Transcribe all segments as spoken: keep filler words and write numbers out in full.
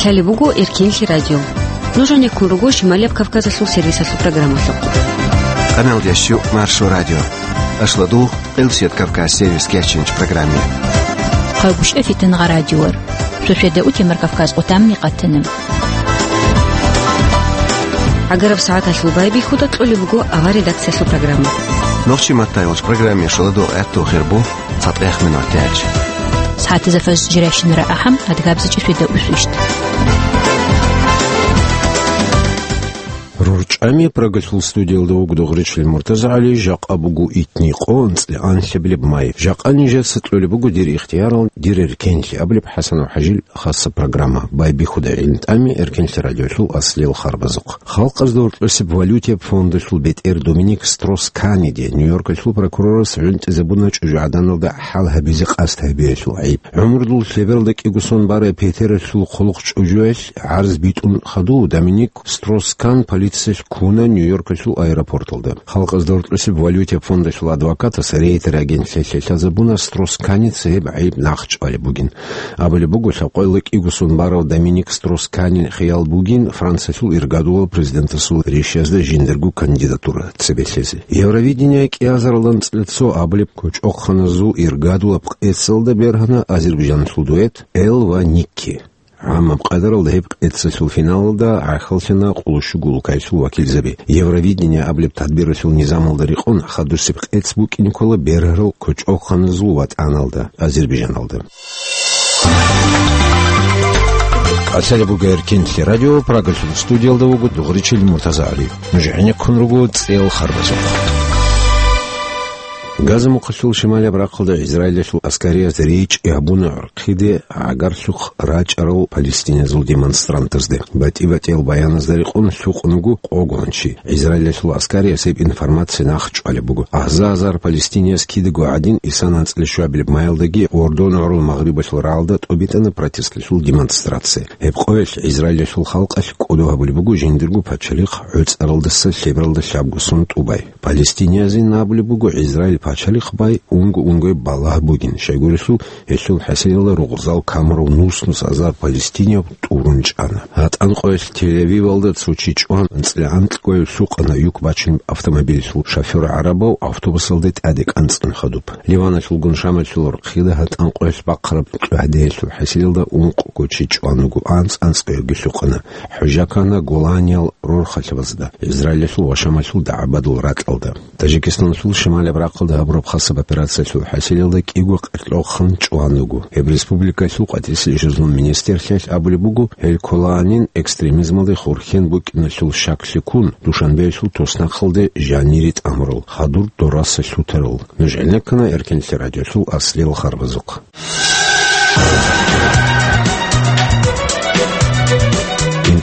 Лъалеб буго Эркенлъи радио. Нуж гьанеккун руго Шималияб Кавказалъул сервисалъул программалъухъ. Къаналдящу Маршо радио. Ашладу, Къилсият Кавказ сервис кечинч программе. Хъагушев Фитнагъа радиор. Шошеда утемар Кавказ къутамни къатана. Агараб сагӀаталъул байбихьуда кьолеб буго ава редакциялъул программа. Нохчи маттайолч программе шаладу гӀатту хирбу. ЦатӀех минуталъ. СагӀатазда фажр жирайщинара ахӀам, адгабзичӀи шведа усвищт. РурчӀами Прагалъул студиялда вуго Дугъричил МуртазагӀали, жакъа буго итни къо анцӀила анлъабилеб май. Жакъа нижеца кьолеб буго дир ихтиярал, дир эркенлъи абулеб ХӀасанов ХӀажил хасса программа. Байбихьуда гӀилин-тӀами Эркенлъи радиолъул аслиял харбазухъ. Халкъазда гьоркьосеб валютияб фондалъул бетӀер Доминик Строс-Каниде Нью-Йоркалъул прокурорас гӀунтӀизабуна чӀужугӀаданалда хӀал гьабизе къасд гьабиялъул гӀайиб. ГӀумрудул лъебералда кӀиго сон барай Петералъул хъулухъ чӀужуялъ гӀарз битӀун хадув, Доминик Строс-Кан полициялъ ккуна Нью-Йоркалъул аэропорталда. Халкъазда гьоркьосеб валютияб фондалъул адвокатас Рейтер агентлъи лъазабуна, Строс-Каница гьеб гӀайиб нахъчӀвалеб бугин. Абулеб буго, лъабкъоялда кӀиго сон барав Доминик Строс-Канин хиял бугин Франциялъул иргадулав президентасул ришязда жиндирго кандидатура цебе лъезе. Евровидение кӀиазаралда анцӀила цо абулеб кочӀохъаназул иргадулаб къецалда бергьана Азербайджаналъул дуэт Эл ва Никки. ГӀамаб къадаралда гьеб къецалъул финалалда гӀахьаллъана къоло щуго улкаялъул вакилзаби. Евровидение абулеб тадбиралъул низамалда рекъон хадусеб къец букӀин ккола бергьарал кочӀохъаназул ватӀаналда, Азербайджаналда. Лъалеб буго Эркенлъи радио, Прагалъул студиялда вуго Дугъричил МуртазагӀали. Нуж гӀенеккун руго цӀел харбазухъ. Газа мухъалъул шималияб рахъалда Израилалъул аскариязда речӀчӀи гьабуна гӀурхъиде гӀагарлъухъ рачӀарал палестиназул демонстрантазде. БатӀи-батӀиял баяназда рекъон лъукъун вуго къогончи. Израилалъул аскарияб гьеб информация нахъчӀвалеб буго. Аза-азар палестинияс кидаго гӀадин, исан анцӀила щуабилеб майялдаги Ордон гӀурул магърибалъул рагӀалда тӀобитӀана протестлъул демонстрация. Гьеб къоялъ Израилалъул халкъалъ кӀодо гьабулеб буго жиндирго пачалихъ гӀуцӀаралдаса лъебералда лъабго сон тӀубай. Палестиниязе абулеб буго Израил пачалихъ бай унго-унгояб балагь бугин, щайгурелъул гьелъул хӀасилалда ругъзал камурав нус-нус азар палестинияб тӀурун чӀана. ГьатӀан къоялъ Тель-Авивалда цо чи чӀван, анцӀила анкьго лъукъана юк бачун автомобилалъул шофёр гӀарабав автобусалде тӀаде кӀанцӀун хадуб. Ливаналъулгун Шамалъул рахъида гьатӀан къоялъ бахъараб кьогьадиялъул хӀасилалда ункъго чи чӀван вуго, анцӀ-анцӀгоябги лъукъана. ХӀужа ккана Голаниял рорхалъабазда, Израилалъул ва Шамалъул дагӀбадул ракьалда. Тажикистаналъул шималияб рахъалда гьабураб хасаб операциялъул хӀасилалда кӀиго къеркьохъан чӀван вуго. Гьеб республикалъул къватӀирсел ишазул министрлъиялъ абулеб буго, гьел Коланин экстремизмалде хурхен букӀиналъул щаклъи ккун, Душанбеялъул туснахъалде жанире тӀамурал, хадур дораса лъутарал. Нуж гӀенеккана Эркенлъи радиолъул аслиял харбазухъ.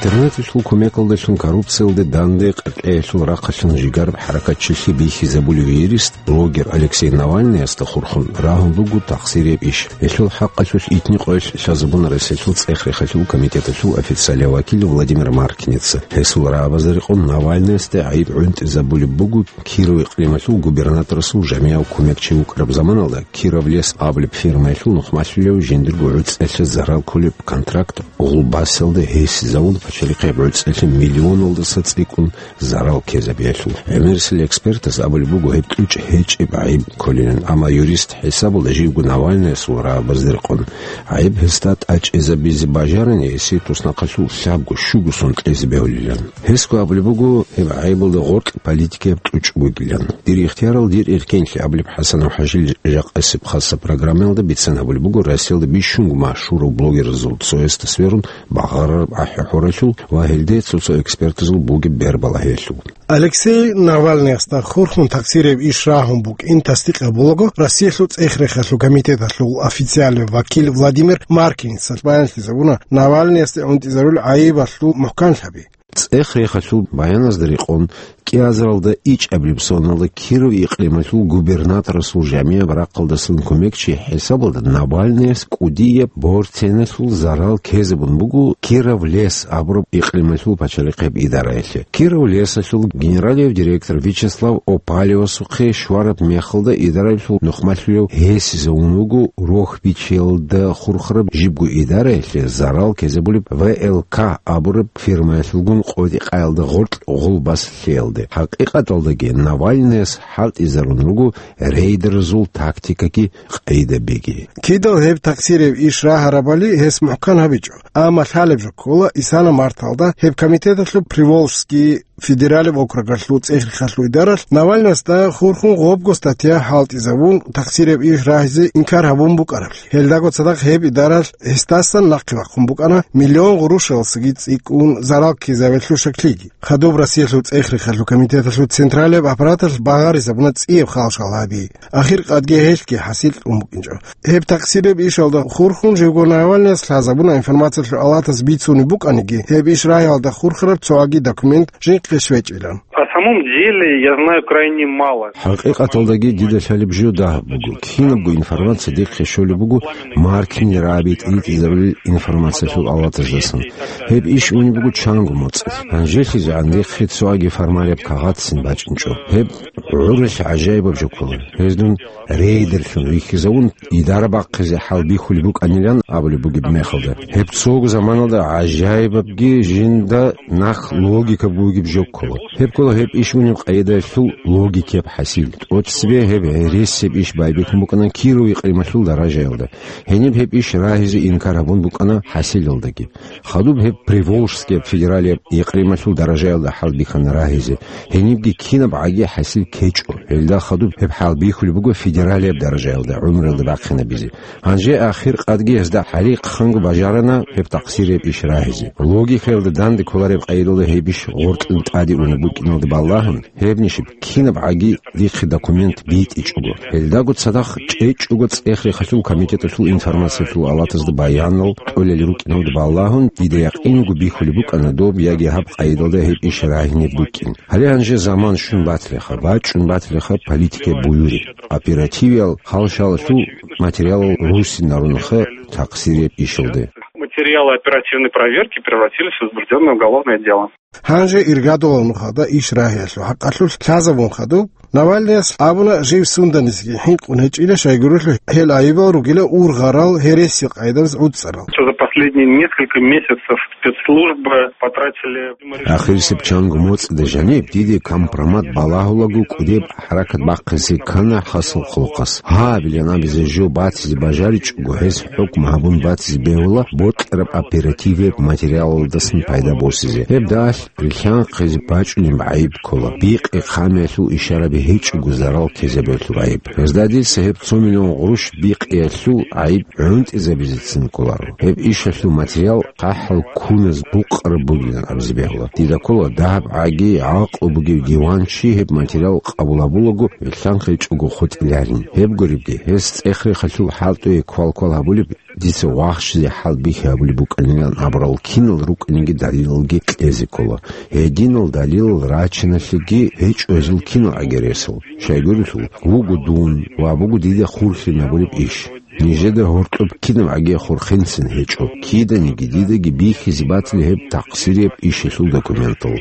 Интернеталъул кумекалдалъун коррупциялде данде къеркьеялъул рахъалъан жигараб хӀаракатчилъи бихьизабулев юрист, блогер Алексей Навальныясда хурхун рагьун буго тахсирияб иш. Гьелъул хӀакъалъулъ итни къоялъ лъазабуна Россиялъул цӀех-рехалъул комитеталъул официалияв вакил Владимир Маркиница. Гьесул рагӀабазда рекъон Навальныясда гӀайиб гӀунтӀизабулеб буго Киров икълималъул губернаторасул жамияв кумекчи вукӀараб заманалда Кировлес абулеб фирмаялъул нухмалъулев жиндирго гӀуцӀиялъе зарал кколеб контракт гъулбасалда гьесизавун пачалихъеб гӀуцӀиялъе миллионалдаса цӀикӀкӀун зарал ккезабиялъул. ГӀемерисел экспертас абулеб буго гьеб кьучӀ гьечӀеб гӀайиб кколилан, амма юрист хӀисабалда живго Навальныясул рагӀабазда рекъон гӀайиб гьесда тӀачӀизабизе бажарани, гьесие туснахъалъул лъабго-щуго сон кьезе бегьулилан. Гьесго абулеб буго гьеб гӀайибалда гъоркь политикаяб кьучӀ бугилан. Дир ихтиярал, дир эркенлъи абулеб ХӀасанов ХӀажил жакъасеб хасаб программаялда бицан гьабулеб буго Россиялда бищунго машгьурав блогерзул цоясда сверун багъарараб ахӀи-хӀуралъул ва гьелде цо-цо экспертазул бугеб бербалагьиялъул. Алексей Навальныясда хурхун тахсирияб иш рагьун букӀин тасдикъ гьабулаго, Россиялъул цӀех-рехалъул комитеталъул официалияв вакил Владимир Маркиница баянлъизабуна Навальныясда гӀунтӀизарулел гӀайибалъул мухӀканлъаби. ЦӀех-рехалъул баяназда рекъон, кӀиазаралда ичӀабилеб соналда Киров икълималъул губернаторасул жамияб рахъалдасан кумекчи хӀисабалда Навальныяс кӀудияб борценалъул зарал ккезабун буго Киров лес абураб икълималъул пачалихъеб идараялъе. Киров лесалъул генералияб директор Вячеслав Опалевасухъе щвараб мехалда идараялъул нухмалъулев гьесизавун вуго рохбичиялда хурхараб жибго идараялъе зарал ккезабулеб В Л К абураб фирмаялъулгун къотӀи-къаялда гъоркь гъул баслъиялде. ХӀакъикъаталдаги Навальныяс хӀалтӀизарун руго рейдерзул тактикаги къайдабиги. Кидал гьеб такъсирияб иш рагьарабали гьес мухӀкан гьабичӀо, амма лъалеб жо ккола, исана марталда гьеб комитеталъул Приволжский федералияб округалъул цӀех-рехалъул идаралъ Навальныясда хурхун гъобго статья хӀалтӀизабун, такъсирияб иш рагьизе инкар гьабун букӀараблъи. Гьелдаго цадахъ гьеб идаралъ гьесдасан нахъе вахъун букӀана миллион гъурущалдасаги цӀикӀкӀун зарал ккезабиялъул щаклъиги. Хадуб Россиялъул цӀех-рехалъул комитеталъул централияб аппараталъ багъаризабуна цӀияб хал-шал гьаби. Ахир къадги гьелъги хӀасил тӀун букӀинчӀо. Гьеб такъсирияб ишалда хурхун живго Навальныяс лъазабуна информациялъул алатаз бицунеб букӀаниги, гьеб иш рагьиялда хурхараб цоги документ жинхъе щвечӀилан. На самом деле я знаю крайне мало. ХӀакъикъаталдаги дида лъалеб жо дагьаб буго. Кинабго информация дихъе щолеб буго Маркин Раби тӀибитӀизабулел информациялъул алатаздасан. Гьеб иш унеб буго чанго моцӀалъ. ГьанжелъизегӀан дихъе цоги формалияб кагъатцин бачӀинчӀо. Гьеб гӀуралъ гӀажаибаб жо ккола. Гьез дун рейдерлъун рихьизавун, идара бахъизе хӀалбихьулеб букӀанилан абулеб бугеб мехалда, гьеб цого заманалда гӀажаибабги жинда нахъ логика бугеб жо ккола. Гьеб ккола гьеб иш унеб къайдаялъул логикияб хӀасил. ТӀоцебе гьеб гӀересияб иш байбихьун букӀана Киров икълималъул даражаялда. Гьениб гьеб иш рагьизе инкар гьабун букӀана хӀасилалдаги. Хадуб гьеб Приволжскияб федералияб икълималъул даражаялда хӀалбихьана рагьизе. Гьенибги кинаб гӀаги хӀасил ккечӀо. Гьелда хадуб гьеб хӀалбихьулеб буго федералияб даражаялда гӀумруялда бахъинабизе. Гьанже ахир къадги гьезда хӀалихъанго бажарана гьеб такъсирияб иш рагьизе. Логикаялда данде кколареб къайдалда гьеб иш гъоркье тӀаде унеб букӀиналде балагьун, гьеб нижеб кинаб гӀаги дихъе документ битӀичӀого, гьелдаго цадахъ чӀечӀого цӀех-рехалъул комитеталъул информациялъул алатазда баянал кьолел рукӀиналде балагьун, дида якъин буго бихьулеб букӀана доб яги гьаб къайдалда гьеб иш рагьинеб букӀин. Гьале гьанже заман щун батилаха, бачӀун батилаха политикаяб буюри, оперативиял хал-шалалъул материалал руссинарунха такъсирияб ишалде. Материалы оперативной проверки превратились в возбуждённое уголовное дело. Гьанже иргадулал нухалда иш рагьиялъул хӀакъалъулъ лъазабун хадуб, Навальныяс абуна жив сундазеги хӀинкъун гьечӀила, щайгурелъул гьел айибал ругила ургъарал гьересил къайдабаз гӀуцӀарал. Что за последние несколько месяцев спецслужбы потратили... Ахирисеб чанго моцӀида жаниб диде компромат балагьулаго кӀудеб хӀаракат бахъизе ккана хасал хъулухъас. Гьабилан абизе жо батизе бажаричӀого, гьес хӀукму гьабун батизе бегьула бокьараб оперативияб материалалдасан пайда босизе. Гьеб далъ рилълъанхъизе бачӀунеб гӀайиб ккола, бикъи-хъамиялъул ишараби гьечӀого зарал ккезабиялъул гӀайиб. Гьезда дица гьеб цо миллион гъурущ бикъиялъул гӀайиб гӀунтӀизабизецин кколаро. Гьеб ишалъул материал хъахӀал ккуназ букъараб бугилан абизе бегьула. Дида ккола дагьаб гӀаги гӀакълу бугев диванчи гьеб материал къабул гьабулаго, рилълъанхъичӀого хутӀиларин. Гьеб гуребги, гьес цӀех-рехалъул хӀалтӀуе квал-квал гьабулеб, дица вахщизе хӀалбихьи гьабулеб букӀанилан абурал кинал рукӀинеги далилалги кьезе ккола. Гьединал далилал рачиналъеги гьечӀо гьезул кинал гӀагересал. Щайгурелъул, вуго дун ва буго дида хурлъи набулеб иш. Нижеда гьоркьоб кинаб гӀаги хурхинцин гьечӀо, киданиги дидаги бихьизе батила гьеб такъсирияб ишалъул документал.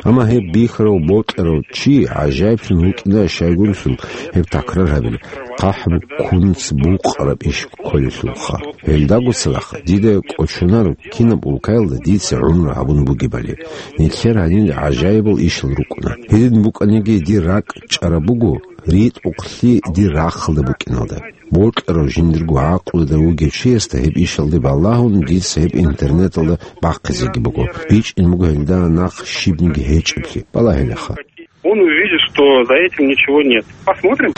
Амма гьеб бихьарав бокьарав чи гӀажаиблъун вукӀина, щайгурелъул гьеб такрар гьабила, хъахӀбу ккунц букъараб иш кколелъулха. Гьелдаго цадахъ дида кӀочонаро кинаб улкаялда дица гӀумру гьабун бугебали. Нилъер гьанир гӀажаибал ишал рукӀуна. Гьедин букӀаниги дир ракӀ чӀараб буго, ритӀухълъи дир рахъалда букӀиналда. Бокьарав жиндирго гӀакълуялда вугев чиясда гьеб ишалде балагьун, дица гьеб интернеталда бахъизеги буго. БичӀчӀин буго гьелда нахъ щибниги гьечӀеблъи. Балагьилаха. Он увидит, что за этим ничего нет. Посмотрим.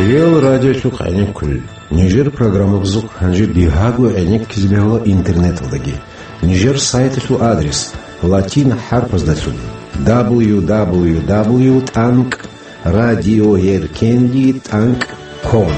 Реал радиолъухъ гӀенекке кколел. Нижер программабазухъ гьанже бигьаго гӀенеккизе бегьула интернеталдаги. Нижер сайталъул адрес латин хӀарпаздалъун: дабл ю дабл ю дабл ю тӀанкӀ радиоеркенди тӀанкӀ ком.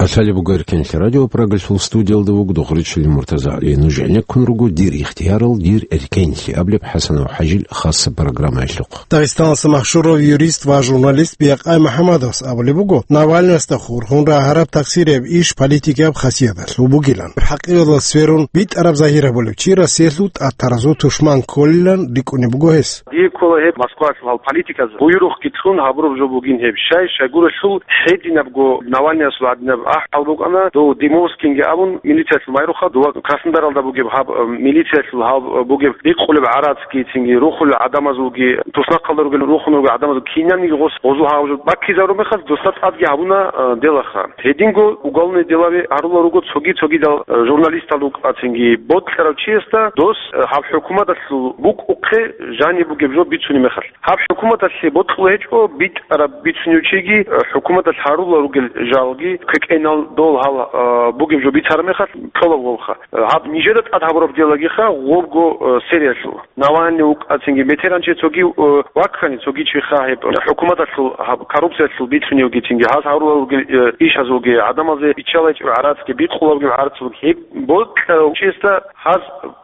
Лъалеб буго Эркенлъи радио, Прагалъул студиялда вуго Дохричилин Муртазагьли. Нуж гӀенеккун руго «Дир ихтиярал, дир эркенлъи» абулеб ХӀасанов ХӀажил хасаб программаялъухъ. Дагъистаналъа машгьурав юрист ва журналист Биякъай МухӀаммадовас абулеб буго, Навальныясда хурхун рагьараб тахсир гьеб иш политикияб хасияталъул бугилан. ХӀакъикъаталда сверун битӀараб загьир гьабулев чи Россиялъул тӀатаразул тушман кколилан рикӀкӀунеб буго гьес. Дие ккола гьеб Москвалъул гьал политиказул буйрухъги лъун гьабураб жо бугин гьеб. Щай, щайгурелъул гьединабго Навальныясул гьадинаб ахӀи букӀана, дов Димовскинги абун, милициялъул майруха, дова Краснодаралда бугеб гьаб, э, милициялъул гьаб, э, бугеб бикъулеб гӀарацги, цинги рухулел гӀадамазулги, туснахъалда ругел рухунел гӀадамазул кинабниги гъос гъозул гьаб жо баккизарун мехалъ, досда тӀадги гьабуна, э, делаха. Гьединго уголовный делаби гьарула руго цоги-цогидал, э, журналистал рукӀа, цинги бокьарав чиясда дос, э, гьаб хӀукуматалъул букӀухъе жаниб бугеб жо бицунеб мехалъ. Гьаб хӀукуматалъе бокьулеб гьечӀо, битӀараб бицунев чиги, э, хӀукуматалъ гьарула ругел жалги, квекӀенал дол гьал, э, бугеб жо бицараб мехалъ кьола гъобха. Э, гьаб нижеда тӀад гьабураб делагиха гъобго, э, сериялъул. Навальный вукӀа, цинги метер гьанже цоги, э, ваккани, цоги чиха гьеб хӀукуматалъул гьаб коррупциялъул бицуневги, цинги гьаз гьарула ругел, э, ишазулги, гӀадамазе биччалайчӀеб гӀарацги, бикъулабги гӀарацулги, гьеб бокьарав чиясда гьаз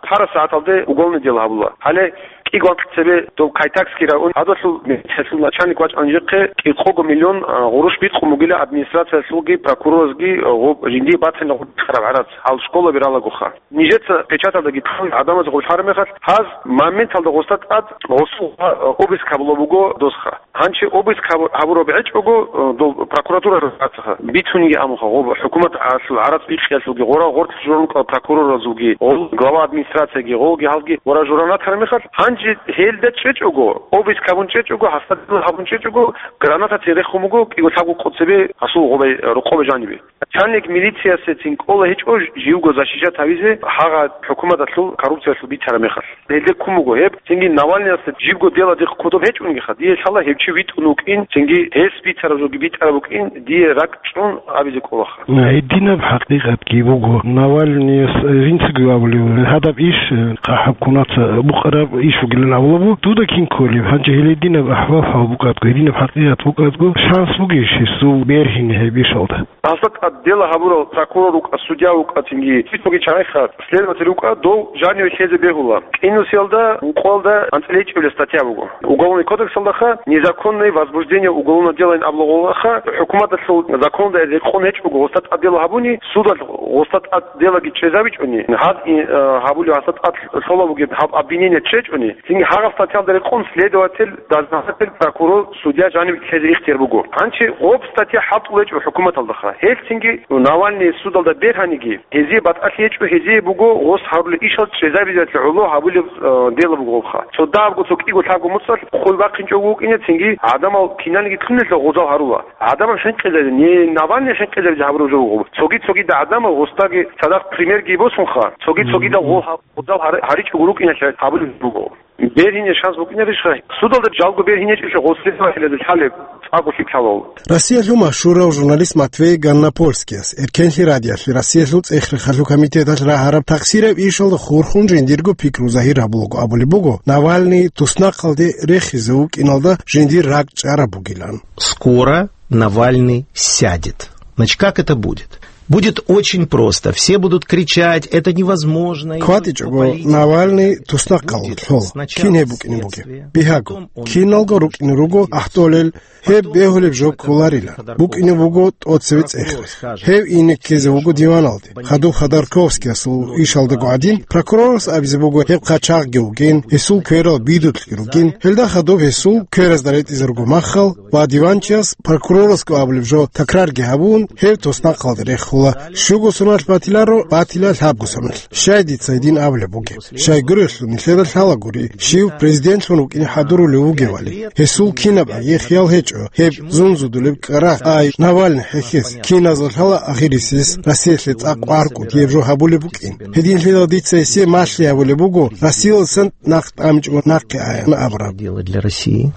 пара сагӀаталде уголовный дело гьабула. Гьале кӀиго анкь цебе дов Кайтакский район гьадалъул милициялъул начальник вачӀана нижехъе кӀикъого миллион, а, гъурущ бикъун бугила администрациялъулги прокуроралъулги, а, гъоб жиндие бацанила гъоркьараб гӀарац, гьал школаби ралагоха. Нижеца печаталдаги ккун гӀадамаз гъорлъараб мехалъ, гьаз моменталда гъосда тӀад гъосул, а, обыск гьабулеб буго досха. Гьанчи обыск гьабу-, гьабураб гьечӀого, э, дол прокуратура рацаха бицунги амуха, гъоб хӀукуматалъул гӀарац бикьиялъулги, гъора гъоркь журнукал прокуроразулги, гъол глава администрацияги, гъолги гьалги гъора журан ратараб мехалъ, гьанже гьелда чӀечӀого, обыск гьабун чӀечӀого, гьасда дила гьабун чӀечӀого, гранатацин рехун буго кӀиго лъабго къо цебе гьасул гъобай, рукъобе жанибе. Начальник милициясецин кӀола гьечӀо живго защищать гьавизе гьагъа хӀукуматалъул коррупциялъул бицараб мехалъ. Гьелде ккун буго гьеб, цинги Навальныясда жибго дела дихъ кодоб гьечӀунгиха, дие лъала гьев чи витӀун вукӀин, цинги гьес бицараб жоги битӀараб букӀин, дие ракӀ чӀун абизе кӀолаха. Гьединаб хӀакъикъатги буго, Навальныяс, э, жинцаго абулев, гьадаб иш, э, хӀукуматалъ букъараб иш вугилан абулеб, дуда кин кколеб, гьанже гьел гьединаб ахӀвал-хӀал букӀадго, гьединаб хӀакъикъат букӀадго, шанс бугищ гьесул бергьине гьеб ишалда? Гьасда тӀад дела гьабурал прокурор вукӀа, судья вукӀа, цинги цоги чагӀиха следователь вукӀа, дов жаниве лъезе бегьула. КӀинусиялда, ункъоялда анцӀила ичӀабилеб статья буго. Уголовный кодексалдаха незаконное возбуждение уголовного дела ин абулагъулаха, хӀукуматалъул законалда рекъон гьечӀого гъосда тӀад дела гьабуни, судалъ гъосда тӀад делаги чӀезабичӀони, гьад, э, гьабулев гьасда тӀад лъола бугеб гьаб обвинение чӀечӀони, цинги гьагъаб статьялда рекъон следователь, дознаватель, прокурор, судья жаниб лъезе ихтияр буго. Гьанчи гъоб статья хӀалтӀулечӀо хӀукуматалдаха. Гьел цинги Навальный судалда бергьаниги, гьезие батӀалъи гьечӀо, гьезие буго гъос гьарулел ишал чӀезабизеялъе гӀоло гьабулеб, э, дела буго гъобха. Цо дагьабго цо кӀиго лъабго муцӀалъ хъул бахъинчӀого вукӀине, цинги гӀадамал киналниги кьунелъул гъозал гьарула. ГӀадамал хӀинкъизаризе, не Навальный хӀинкъизаризе гьабураб жо буго. Цоги-цогидал гӀадамал гъосдаги цадахъ примерги босунха, цоги-цогидал гъол гьаб-, гъозал гьар-, гьаричӀого рукӀиналъе гьабулеб буго. Бергьине шанс букӀинарищха? Судалда жалго бергьинечӀищха гъос следователазда лъалеб цӀакъго лъикӀлъалал? Россиялъул машгьурав журналист Матвей Ганнопольскияс Эркенлъи радиоялъе Россиялъул цӀех-рехалъул комитеталъ рагьараб тахсираб ишалда хурхун жиндирго пикру загьир гьабулаго абулеб буго, Навальный туснахъалде рехизе вукӀиналда жиндир ракӀ чӀараб бугилан. Скоро Навальный сядет. Значит, как это будет? Будет очень просто. Все будут кричать: «Это невозможно». И никто... КватӀичӀого политик Навальный туснахъалде будет лъола. Сначала кин гьеб букӀине бугеб? Следствие, бигьаго, потом он киналго будет рукӀине руго, ахӀдолел, гьеб бегьулеб жо кколарила. БукӀине буго тӀоцеве цӀех-рех. Гьев ине ккезе вуго диваналде. Хадуб Ходорковскиясул ишалдаго гӀадин, прокурорас абизе буго гьеб хъачагъги вугин, гьесул кверал бидулъги ругин, гьелда хадуб гьесул кверазда ретӀизе руго маххал, ва диванчияс прокурорасго абулеб жо такрарги гьабун, гьев туснахъалде рехула, щуго соналъ батиларо, батила лъабго соналъ. Щай дица гьедин абулеб бугеб? Щайгурелъул нилъеда лъалагури, щив президентлъун вукӀине хӀадурулев вугевали. Гьесул кинаб гӀаги хиял гьечӀо, гьеб зунзудулеб кӀарагъ, ай, Навальный хӀехьес, киназда лъала ахирисес Россиялъе цӀакъ варкъун гьеб жо гьабулеб букӀин. Гьединлъидал дица гьесие малъи гьабулеб буго, Россиялдасан нахъ тӀамичӀого нахъе аян абураб. Дело для России.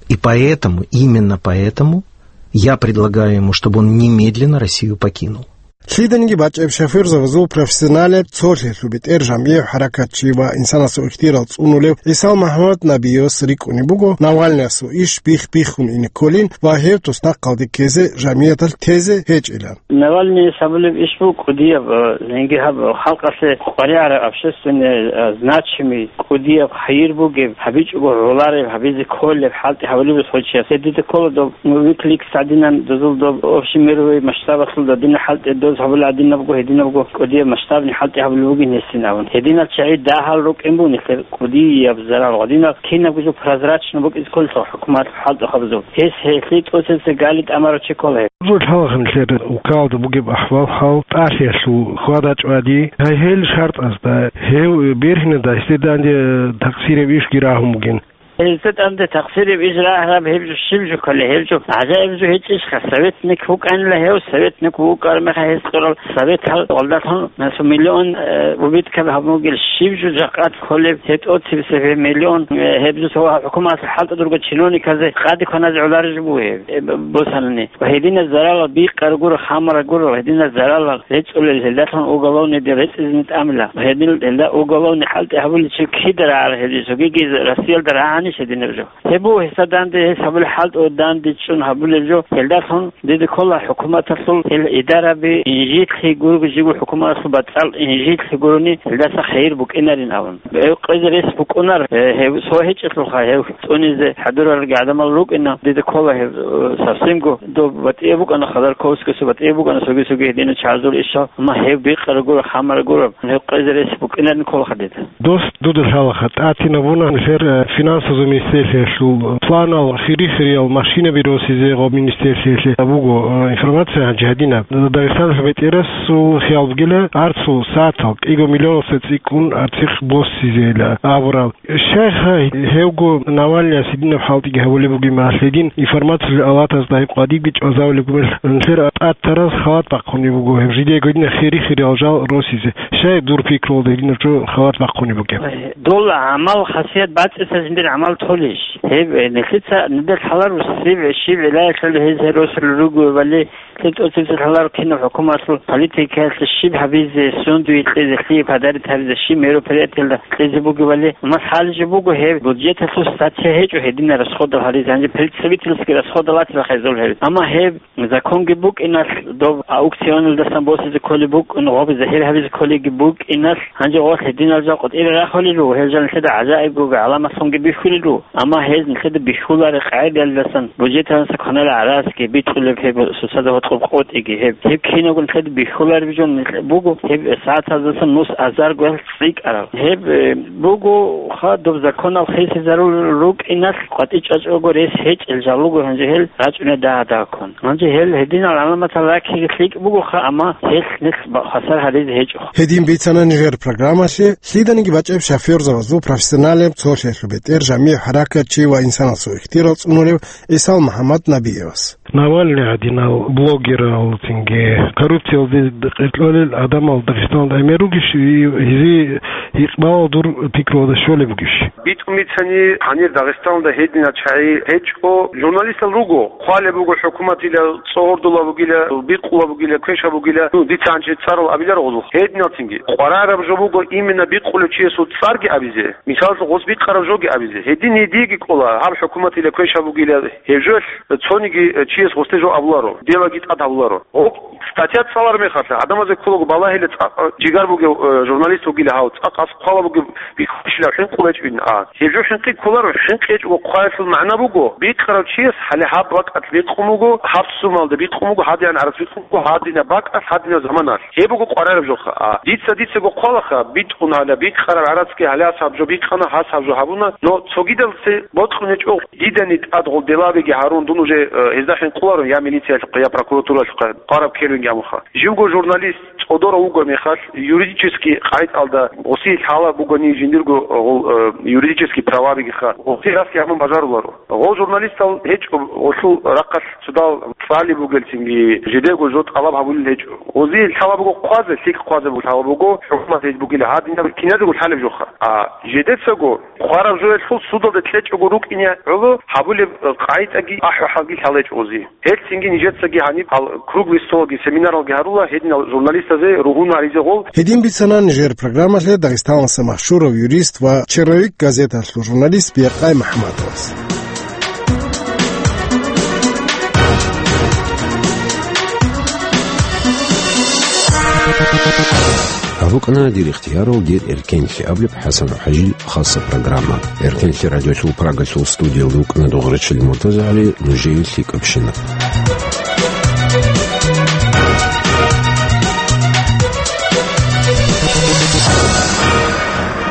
И поэтому, именно поэтому я предлагаю ему, чтобы он немедленно Россию покинул. Лъиданиги бачӀеб шофёрзабазул профессионалияб цолъиялъул бетӀер жамгӀияб хӀаракатчи ва инсанасул ихтияр цӀунулев ГӀисал МухӀаммад Набиевас рикӀкӀунеб буго Навальныясул иш бих-биххун ине кколин ва гьев туснахъалде ккезе жамгӀияталъ тезе гьечӀилан. Навальныяс гьабулеб иш буго кӀудияб, э, гьенги гьаб халкъалъе къваригӀараб общественный, э, значимый, кӀудияб хайир бугеб, гьабичӀого гӀолареб, гьабизе кколеб, хӀалтӀи гьабулеб гьечияс. Гьединлъидал ккола доб Wikileaks гӀадинан дозул доб общемировый масштабалъул гьадинаб хӀалтӀи доз гьабулеб гӀадинабго, гьединабго кӀудияб масштабный хӀалтӀи гьабулеб бугин гьесин абун. Гьединал чагӀи дагьал рукӀин бугин нилъер кӀудияб зарал. Гьадинал кинабго жо прозрачно букӀизе кколелъул хӀукуматалъул хӀалтӀухъабазул. Гьес гьелъие тӀоцебесеб гали тӀамарав чи ккола гьеб. Гьезул лъалаха нилъер улкаялда бугеб ахӀвал-хӀал, тӀалъиялъул хьвада-чӀвади, гьай гьел шартӀазда, гьев бергьинада гьесде данде такъсираб ишги рагьун бугин. Гьесде данде такъсираб иш рагьараб гьеб жо щиб жо кколеб, гьеб жо гӀажаиб жо гьечӀищха? Советник вукӀанила гьев, советник вукӀараб мехалъ гьес кьурал советал гьалдалъун насу миллион, э, убыткаби гьабун бугел, щиб жо жакъа кколеб гьеб тӀоцебесеб гьеб миллион, э, гьеб жо цо хӀукуматалъул хӀалтӀудурго чиновниказе къаде кваназе гӀолареб жо буго гьеб, э, б-, босанани. Ва гьединаб заралал бикъараб гуро, хамараб гуро, гьединаб заралал рецӀулел, гьелдалъун уголовныйде рецӀизеги тӀамила. Ва гьедин, гьелда уголовный хӀалтӀи гьабулел чи кида рагӀараб гьеб жо, цогиги Россиялда рагӀанищ гьединаб жо? Гьеб буго гьесда данде гьес гьабулеб хӀалтӀу данде чӀун гьабулеб жо, гьелдалъун дида ккола хӀукуматалъул гьел идараби инжитлъи гуро, жиго хӀукуматалъул бацӀал инжитлъи гурони, гьелдаса хайир букӀинарин абун. Гьев къезе рес букӀунар, э, гьев цо гьечӀелъулха, гьев цӀунизе хӀадуралги гӀадамал рукӀина, дида ккола гьев, э, совсемго доб батӀияб букӀана, Ходорковскиясул батӀияб букӀана, цоги-цоги гьединал чагӀазул ишал, амма гьев бикъараб гуро, хамараб гуро, гьев къезе рес букӀинарин кколаха дида. Дос дуда лъалаха, тӀатинабуна нилъер, э, финансазул министерствоялъул планал, хири-хириял машинаби росизе гъоб министерствоялъе буго, э, информация гьанже гьадинаб. Дагъистаналъул бетӀерасул хиял бугила, арцул сагӀатал кӀиго миллионалдаса цӀикӀкӀун арцихъ босизейила абураб. Щайха гьевго Навальныяс гьединаб хӀалтӀиги гьабулеб бугеб мехалъ, гьедин информациялъул авлатазда гьеб къвадибги чӀвазавулеб гумел нилъер тӀатараз халат бахъунеб буго, гьеб жидеего гьединаб хири-хириял жал росизе. Щай дур пикрулда гьединаб жо халат бахъунеб бугеб? Дол гӀамал хасият бацӀица жиндир гӀамал толищ? Гьеб, э, нилъеца нилъер лъаларо сиб-, щиб гӀиллаялъул гьез гьел росулел ругебали, нилъер тӀоцебесеб лъаларо кинаб хӀукуматалъул политикаялъе щиб гьабизе, сундуе кьезе, лъие подарить гьабизе, щиб мероприятиялда кьезе бугебали, амма лъалеб жо буго гьеб бюджеталъул статья гьечӀо гьединал расходал гьаризе, гьанже представительский расходал атила хайзул гьеб. Амма гьеб законги букӀиналъ, доб аукционалдасан босизе кколеб букӀин, гъоб загьир гьабизе кколебги букӀиналъ, гьанже гъолъ гьединал жал къватӀире рахулел руго, гьел жал нилъеда гӀажаибго гӀаламатлъунги бихьулел руго. Амма гьез нилъеда бихьулареб къагӀидаялдасан, бюджеталдаса кваналел гӀарацги, бикьулеб гьеб сусазда гьоркьоб къотӀиги гьеб. Гьеб кинабго нилъеда бихьулареб жо нилъ-, буго, гьеб сагӀатаздасан нус азарго цӀикӀкӀарал. Гьеб, э, буго ха, доб законал хисизарулел рукӀиналъ, къватӀи чӀвачӀого рес гьечӀел жал руго гьанже гьел рачӀунел дагьа-дагьккун. Гьанже гьел гьединал гӀаламатал раккиги лъикӀ бугоха, амма гьелъ нилъ ба-, хвасар гьаризе гьечӀоха. Гьедин бицана нижер программалъе лъиданиги бачӀеб шофёрзабазул профессионалияб цолъиялъул бетӀер жамигӀ хӀаракатчи ва инсанасул ихтияр цӀунулев ГӀисал МухӀаммад Набиевас. Навальный гӀадинал блогерал цинги коррупциялде къеркьолел гӀадамал Дагъистаналда гӀемер ругищ, гьезие гьикъбал дур пикруялда щолеб бугищ? БитӀун бицани, гьанир Дагъистаналда гьединал чагӀи гьечӀо, журналистал руго, хъвалеб буго хӀукуматила, цӀогьордулаб бугила, бикъулаб бугила, квешаб бугила, ну, дица гьанже цӀарал абилар гъозухъ. Гьединал цинги къварараб жо буго именно бикъулев чиясул цӀарги абизе, мисаллъун, гъос бикъараб жоги абизе. Гьедин гьедиеги кӀола, гьаб хӀукуматила квешаб бугила, гьеб жоялъ цониги чияс гъосде жо абуларо, делаги тӀад гьабуларо. Гъоб статья цӀалар мехалъ, гӀадамазе кколаго балагьила цӀакъ жигар бугев, э, журналист вугила гьав, цӀакъ гьас хъвала бугеб бихьулищила хӀинкъулеб гьечӀо ин, а. Гьеб жо хӀинкъи кколаро, хӀинкъи гьечӀого хъваялъул магӀна буго, бикъарав чияс гьале гьаб бакӀалъ бикъун буго, гьаб сумалда бикъун буго, гьадинаб гӀарац бикъун буго, гьадинаб бакӀалъ, гьадинаб заманалъ. Гьеб буго къварараб жоха, а. Дица, дицаго хъвалаха, битӀун гьале бикъараб гӀарацги гьале гьас гьаб жо бикъана, гьас гьаб жо гьабуна, но цогидалъе бокьун гьечӀо. Дидани тӀад гъол делабиги гьарун, дун уже, э, гьезда хӀинкъуларо я милициялъухъе, я прокуратуралъухъе, къвараб ккелунги абунха. Живго журналист цӀодорав вугеб мехалъ, юридический къагӀидалда гъосие лъалеб бугони жиндирго гъол, э, юридический правабигиха, гъосие расги гьабун бажаруларо. Гъол журналистал гьечӀо гъолъул рахъалъ цодал цӀалеб бугелцинги, жидего жо тӀалаб гьабулел гьечӀо. Гъозие лъалеб буго хъвазе, лъикӀ хъвазе лъалеб буго, хӀукумат гьез бугила гьадинаб киназего лъалеб жоха. А жидецаго Хвараб жоялъул судалде кьечӀого рукӀине гӀоло гьабулеб къагӀидаги ахӀи-хӀалги лъалечӀози. Гьелъинги нижецаги гьаниб гьал круглый столги семинаралги гьарула гьединал журналистазе ругьун гьаризе гъол. Гьедин бицана нижер программалъе Дагъистаналдаса машгьурав юрист ва «Черновик» газеталъул журналист Биякъай МахӀаммадовас. Гьаб букӀана дир ихтиярал дир эркенлъи абулеб ХӀасан ХӀажил хаса программа. Эркенлъи радиолъул Прагалъул студиялда вукӀана Дугърачил МуртазагӀали, нужее лъикӀабщинаб.